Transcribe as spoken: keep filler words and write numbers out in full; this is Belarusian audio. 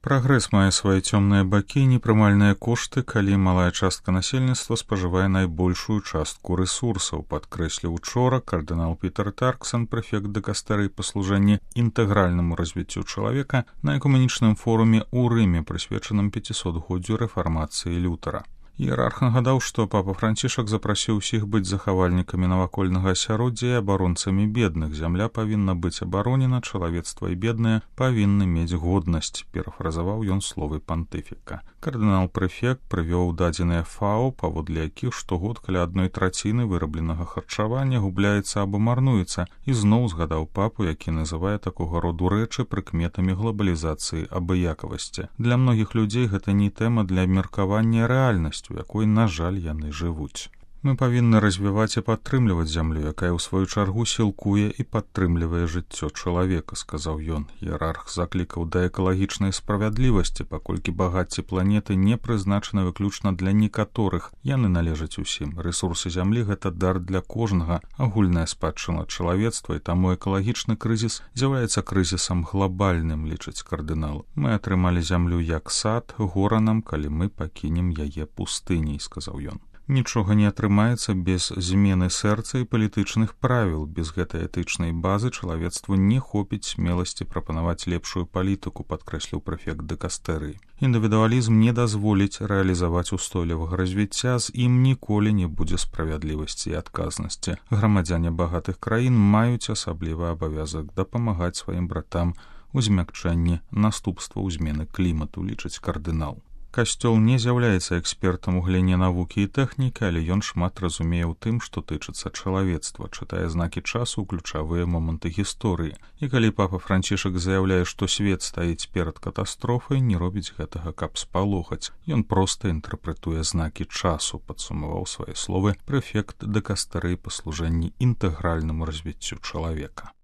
Прагрэс мае свае цёмныя бакі і непрымальныя кошты, калі малая частка насельніцтва спажывае найбольшую частку рэсурсаў, падкрэсліў учора кардынал Пітер Тарксон, прэфект дыкастэрыі па служэнні інтэгральнаму развіццю чалавека на экумэнічным форуме ў Рыме, прысвечаным пяцісотгоддзю рэфармацыі Лютера. Іерарх нагадаў, што папа Францішак запрасіў усіх быць захавальнікамі навакольнага асяроддзя і абаронцамі бедных. Зямля павінна быць абаронена, чалавецтва і бедныя павінны мець годнасць, перафразаваў ён словы пантыфіка. Кардынал-прэфект прывёў дадзеныя ФАО, паводле якіх штогод каля адной траціны вырабленага харчавання губляецца або марнуецца, і зноў згадаў папу, які называе такога роду рэчы прыкметамі глобалізацыі абыякавасці. Для многіх людзей гэта не тэма для абмеркавання рэальнасці, у якой, на жаль, яны жывуць. Мы павінны развіваць і падтрымліваць зямлю, якая ў сваю чаргу сілкуе і падтрымлівае жыццё чалавека, сказаў ён. Іерарх заклікаў да экалагічнай справядлівасці, паколькі багацце планеты не прызначаны выключна для некаторых, яны належаць усім. Рэсурсы зямлі — гэта дар для кожнага, агульная спадчына чалавецтва, і таму экалагічны крызіс з'яўляецца крызісам глобальным, лічыць кардынал. Мы атрымалі зямлю як сад, гора нам, калі мы пакінем яе пустыняй, сказаў ён. Нічога не атрымаецца без змены сэрца і палітычных правіл. Без гэтай этычнай базы чалавецтву не хопіць смеласці прапанаваць лепшую палітыку, падкрэсліў прэфект дыкастэрыі. Індывідуалізм не дазволіць рэалізаваць устойлівага развіцця, з ім ніколі не будзе справядлівасці і адказнасці. Грамадзяне багатых краін маюць асаблівы абавязак дапамагаць сваім братам у змякчэнні наступстваў змены клімату, лічыць кардынал. Касцёл не з'яўляецца экспертам у галіне навукі і тэхнікі, але ён шмат разумее ў тым, што тычыцца чалавецтва, чытае знакі часу ў ключавыя моманты гісторыі. І калі папа Францішак заяўляе, што свет стаіць перад катастрофай, не робіць гэтага, каб спалохаць. Ён проста інтэрпрэтуе знакі часу, падсумаваў свае словы прэфект дыкастэрыі па служэнні інтэгральнаму развіццю чалавека.